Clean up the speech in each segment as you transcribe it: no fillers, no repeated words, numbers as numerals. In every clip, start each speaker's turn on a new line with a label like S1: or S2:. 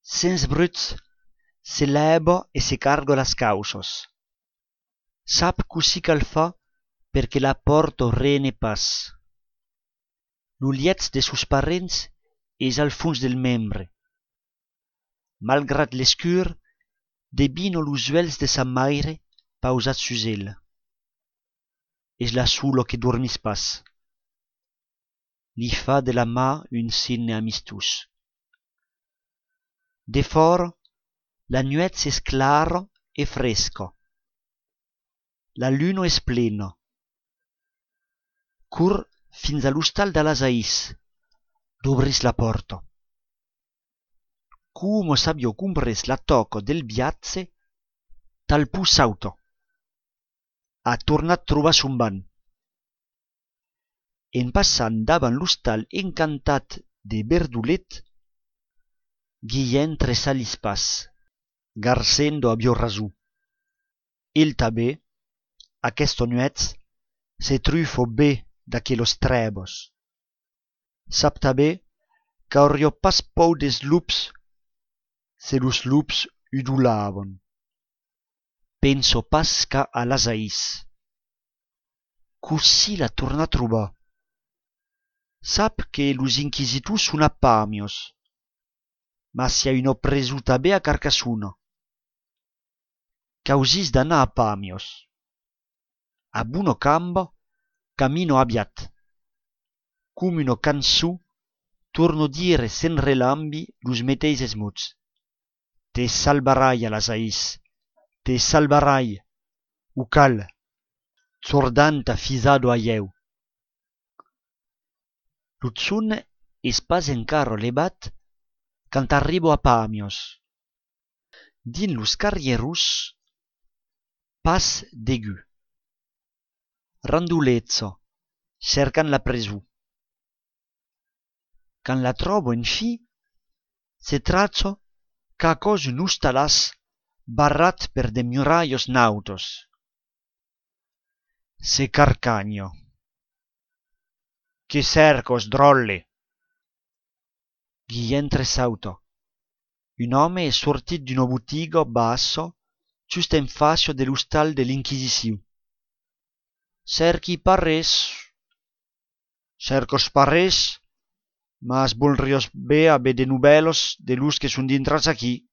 S1: sens bruts, se leva e se carga las causos. Sap così cal fa perché la porta rene pas. L'uliets de sus parents es al funs del membre. Malgrat l'escur, debino los uels de sa maire pausat sus el. Es la sulo que dormis pas. Li fa de la mà un signe amistus. De fora, la nuet es clara e fresca. La luna es plena. Cur fins a l'hostal de l'Asaís, d'obris la porta. Como s'abbia compres la toca del viatge, tal pu sauta. Ha tornat trobar son ban. En passant davant l'hostal encantat de Verdulet, Guillén tressa lis pas, garcendo a Biorrazù. Il tanben, aquesta nuet, se trufo bé d'aquelos trèbos. Sap tanben qu'auria pas pau des lups se los lups udolavan. Penso pas qu'a a l'Asaís. Così la torna a trobar. Sap que los inquisitors son a Pamios, ma si una presu tanben a Carcassona. Causis d'anar a Pamios. A bona camba, camino aviat. Com una cançó, torno dire sen relambi los meteises mots. Te salvarai a l'Asaís, te salvarai, o cal, zordanta fisado a ieu. Lo zon es pas encara levat quand arribo a Pamios. Din los carrieros, pas degu. Randolezza, cercant la presu. Quand la trobo en fi, se traccia qu'a cos un hostalas barrat per de muraios nautos. Se carcagno. Che cercos, drolle? Guillén tressauta. Un home è sortit d'una botiga bassa just en facio de l'hostal de l'Inquisició. Cerqui parres. Cercos parres, mas volrios bé a be de novelos de los que son dintrats aquí.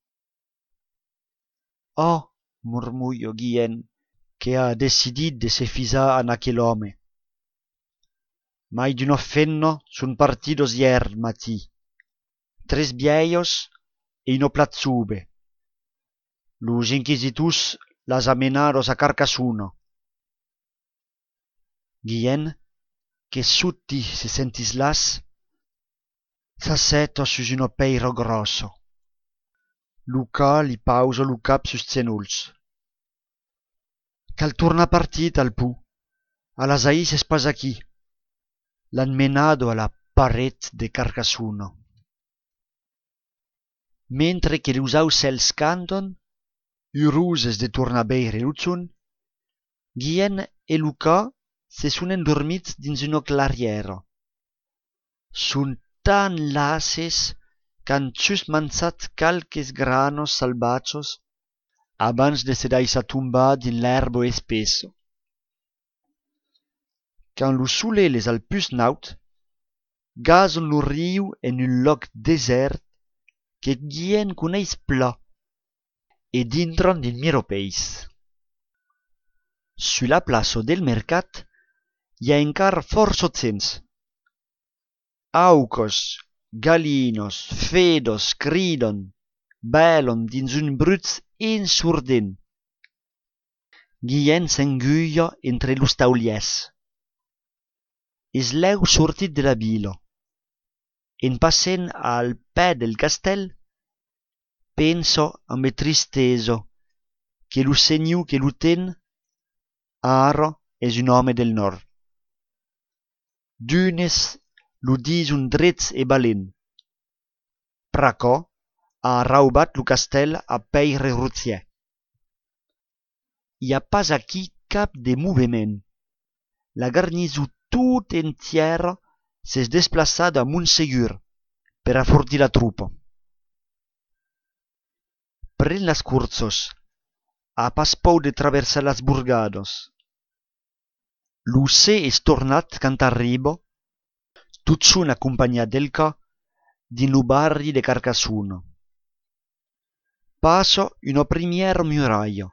S1: Oh, murmullo Guillén, que ha decidit de se fisar en aquel home. Mai d'una fenna son partidos hier matí. 3 viejos e una platzube. Los inquisitors las amenaros a Carcassona. Guillén, que sutti se sentis las, s'asseta sus una peira grossa. Luca li pausa lo cap sus zenolls. Cal torna partit al pu. A l'Asaís es pas aquí. L'han menado a la paret de Carcassona. Mentre que los aucels canton, uroses de tornar a beire lo zon, Guillén e Luca se son endormits dins una clariera. Son tan lases qu'han just manzat calques granos salvatges abans de se daisar tombar din l'herba espessa. Quand lo soleil es al plus naut, gason lo riu en un loc desert que Guillén coneis pla e dintran din miropeis. Su la plaça del mercat hi ha encara força gens. Aucos, galinos, fedos cridon, bèlon dins un bruts ensordent. Guillén s'enguia entre los tauliers. Es leu sortit de la vila. En passant al pè del castell, pensa amb tristesa que lo senyor que lo ten ara és un home del nord. D'unes lo dison drets e valent. Praca ha raubat lo castell a peire routier. Hi ha pas aquí cap de moviment. La garnison tout entière s'es desplaçada a Montsegur per a fortir la trupa. pren las cursos, a pas pou de traversar las burgados. Lu se es tornat cant arribo, tut sun accompagnat del ca, din lu barri de Carcasuno. Passo uno primiero muraio,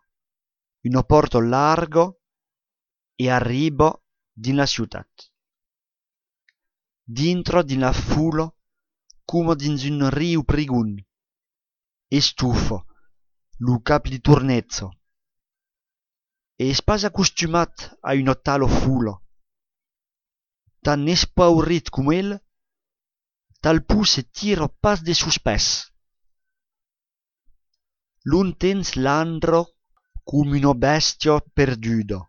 S1: uno porto largo, e arribo din la ciutat. Dintro din la fulo, como dins un riu prigun, e stufo, lu cap li turnezzo. E es pas acostumat a uno talo fulo. Tan espaurit cum el, tal pu se tiro pas de suspès. L'un tens l'andro cum uno bestio perdudo,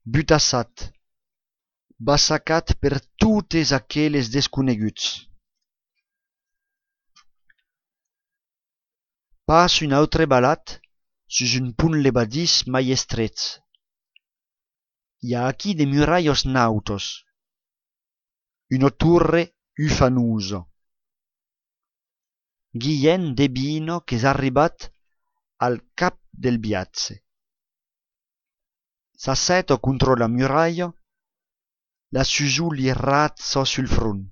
S1: butassat, bassacat per totes aqueles desconeguts. Pas un autre balat sus un punt levadís mai estrets. Hi ha aquí de muraios nautos, uno turre ufanuso. Guillén debino qu'es arribat al cap del biatze. S'asseto contro la muraio, la susu li razzo sul front.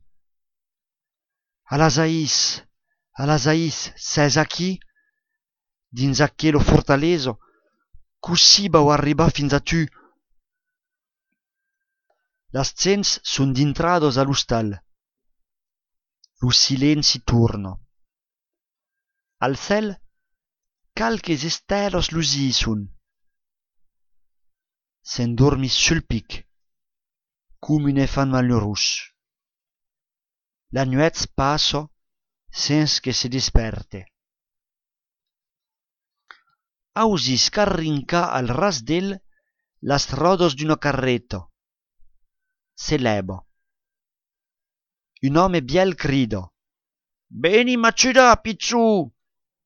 S1: Alasaïs, ses aquí? Dins aquelo fortaleso, così bau arribar fins a tu. Las cents sun dintrados a l'ustal. Lu silenci turno. Al cel, calques estelos lusisun. S'endormis sul pic, cum un efant malheurus. La nuets passo sens que se desperte. Ausis carrinca al ras d'el las rodos d'uno carretto. Se lebo. Un home biel crido: «Beni m'acciudà, pizzu!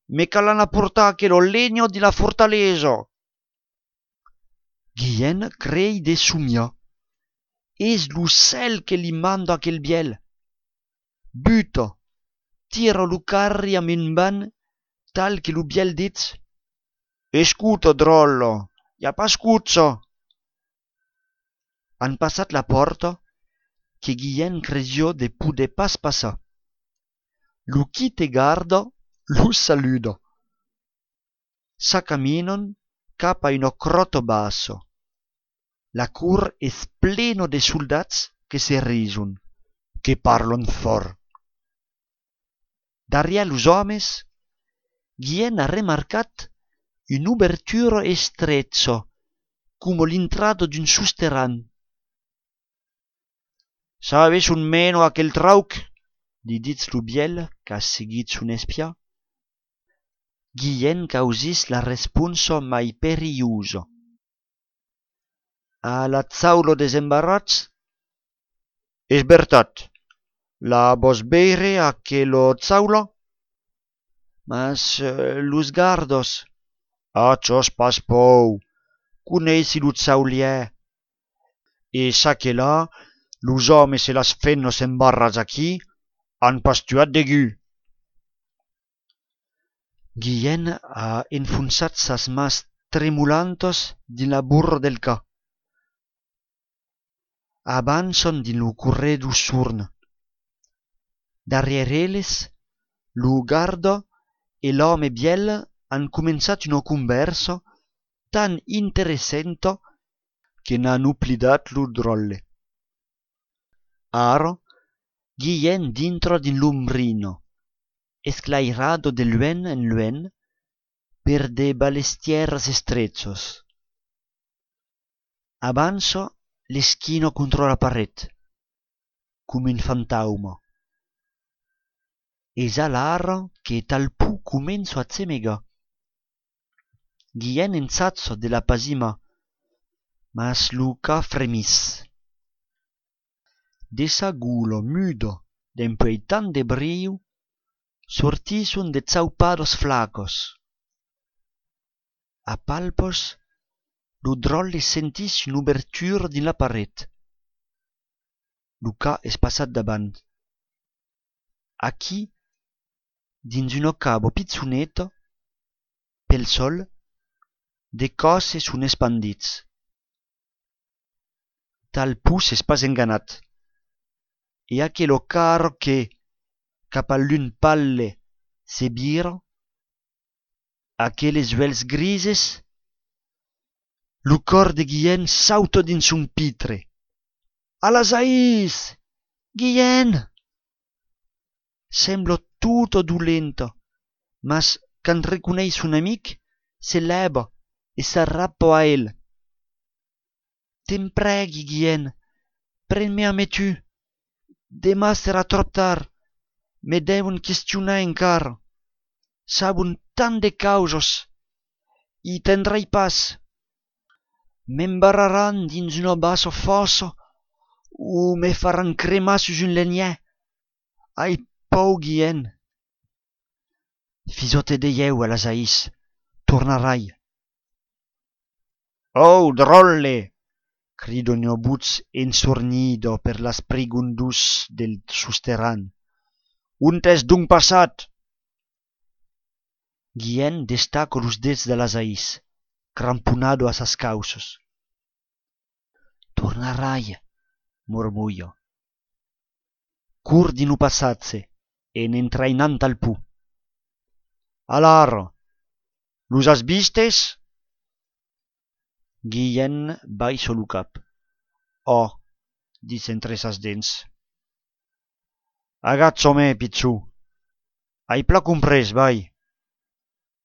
S1: Me calan a portar aquelo legno di la fortaleso!» Guillén crei de sumia. Es lu cel que li mando aquel biel. Buto, tiro lu carri a min ban, tal que lu biel dit: «Escuto, drollo, ja pas scuzzo!» Han passat la porta, que Guillén cresio de pude pas passar. Lu quite gardo, lu saludo. S'accaminon cap a uno crotto basso. La cur es pleno de soldats que se risun, que parlon fort. Daria los homes, Guillén ha remarcat un'ubertura estrezzo, como l'intrado d'un susterran. «Sabes un meno aquel trauc?» li ditz lu biel qu'ha seguit son espia. Guillén causis la responso mai periuso. «A la zaulo desembarrats?» «Es vertat. La vos beire aquelo zaulo?» «Mas los gardos?» «Achos pas pou. Cuneisi lu zaulier. E sa que là, los homes e las fennos embarrats aquí han pastuat degu.» Guillén ha enfonçat sas mas tremulantos din la burro del ca. Avançon din lu corredu surn. Darriere elles, lu gardo e l'home biel han començat uno converso tan interessento que n'han uplidat lu drolle. Aro, Guillén dintro din l'umbrino, esclairado de luen en luen per de balestieras estrechos. Avanzo l'eschino contro la paret, come un fantaumo. Es al'aro che tal pu comenzo a zemega. Guillén enzazzo de la pasima, mas lu ca fremis. De sa gulo mudo d'empei tan de briu, sortisun de zaupados flacos. A palpos, lu drolle sentis un'ubertura din la paret. Lu ca es passat davant. Aquí, dins uno cabo pizzuneto, pel sol, de coses sun expandits. Tal pus es pas enganat. E aquelo caro che, cap a l'un palle, se biro, aqueles uels grises, lo cor de Guillén sauta dins un pitre. Alasaís! Guillén! Sembla tutto dolento, mas quand reconeix un amic, se leva e s'arrappa a el. Te'n pregui, Guillén, pren-me a me tu. Demà serà trop tard. Me deuen questionar encara. Sabun tant de causos. I tendrai pas. M'embarraran dins una bassa fossa o me faran cremar sus un legnet. Ai, pau, Guillén. Fisote de ieu, Alasaís. Tornarai. Oh, drolle! Crido Neobuz ensornido per l'asprigundus del susterran. Un t'es d'un passat! Guillén destaca los dets de l'Alasaís, cramponado a sas causos. Tornarai, murmullo. Cur di nu passatse, en entrainant al pu. Alar, los has vistes? Guillén baixo lo cap. Oh, dice entre sas dents. Agazzo me, pizzu. Hai pla comprès, vai.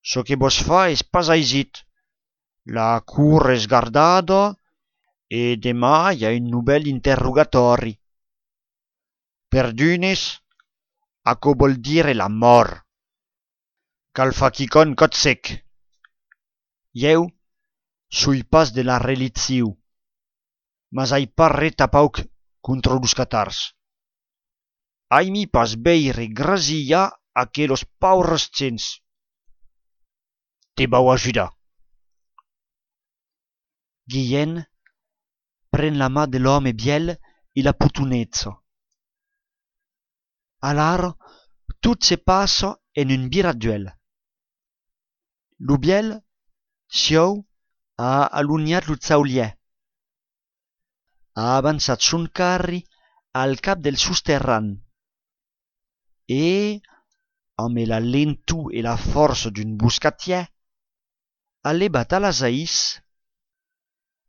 S1: So que vos fa es pas aisit. La cur es gardada e demà hi ha un nouvel interrogatori. Per d'unes, aquò vol dire la mort. Cal fa quicon cot sec. Ieu sui pas de la reliziu, mas ai pas ret a pauc contra los catars. Ai mi pas beire grasia aquelos paures gens. Te vau ajudar. Guillén pren la mà de l'home biel e la putunezza. Alar tot se passa en un biraduel. Lo biel, siau, ha aluniat lo zaulier. Ha avançat son carri al cap del susterran e, amb la lentu e la força d'un buscatier, ha levat Alasaís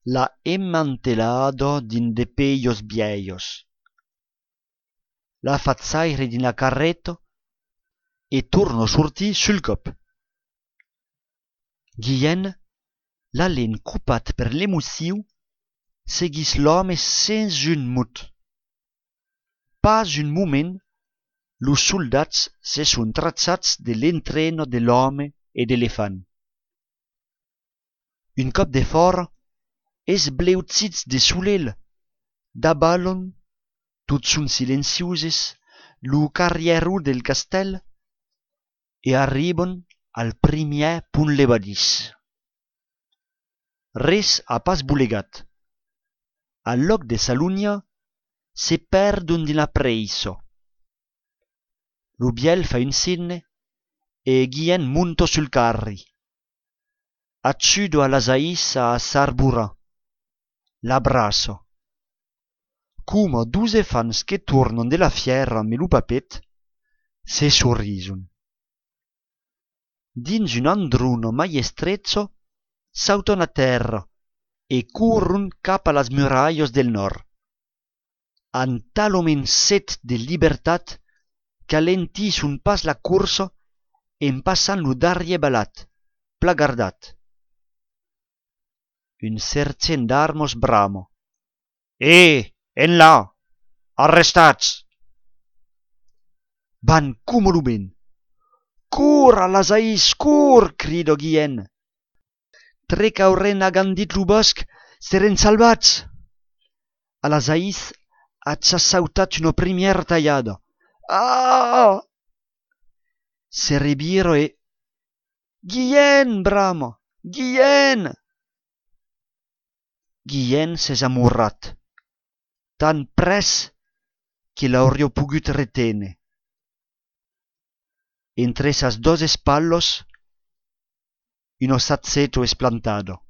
S1: la emmantelada din de peios viejos. L'ha fat saire din la carreta e torna sortir sul cop. Guillén, la len copat per l'emoció, seguís l'home sens un mot. Pas un moment, los soldats se son traçats de l'entreno de l'home e d'elefant. Un cop de fora, es bleutzits de solel, d'abalon, tot son silencioses, lo carrieró del castell, e arriben al primier punt levadís. Res ha pas bulegat. Al loc de Salunia se perdon din la preiso. Lo biel fa un signe e Guillén monta sul carri. Acciudo Alasaís a Sarbura. L'abraço. Come 12 fans che tornan de la fiera me lo papet, se sorrison. Dins un andruno maiestrezzo sauton a terra e currun cap a las murallas del nord. An tal omen set de libertat qu'alentisson pas la cursa en passant lo darrier balat, plagardat. Un sergent d'armos bramo. En là! Arrestats! Van como lo ben. Cur, Alasaís, cur! Crido Guillén. Trec auren agandit lo bosc, seren salvats. Alasaís ha sautat una primiera tallada. Ah! Se reviro e... Guillén, brama! Guillén! Guillén s'es amorrat, tan pres que l'auria pogut retene. Entre sas dos espallos in o sazzetto esplantado.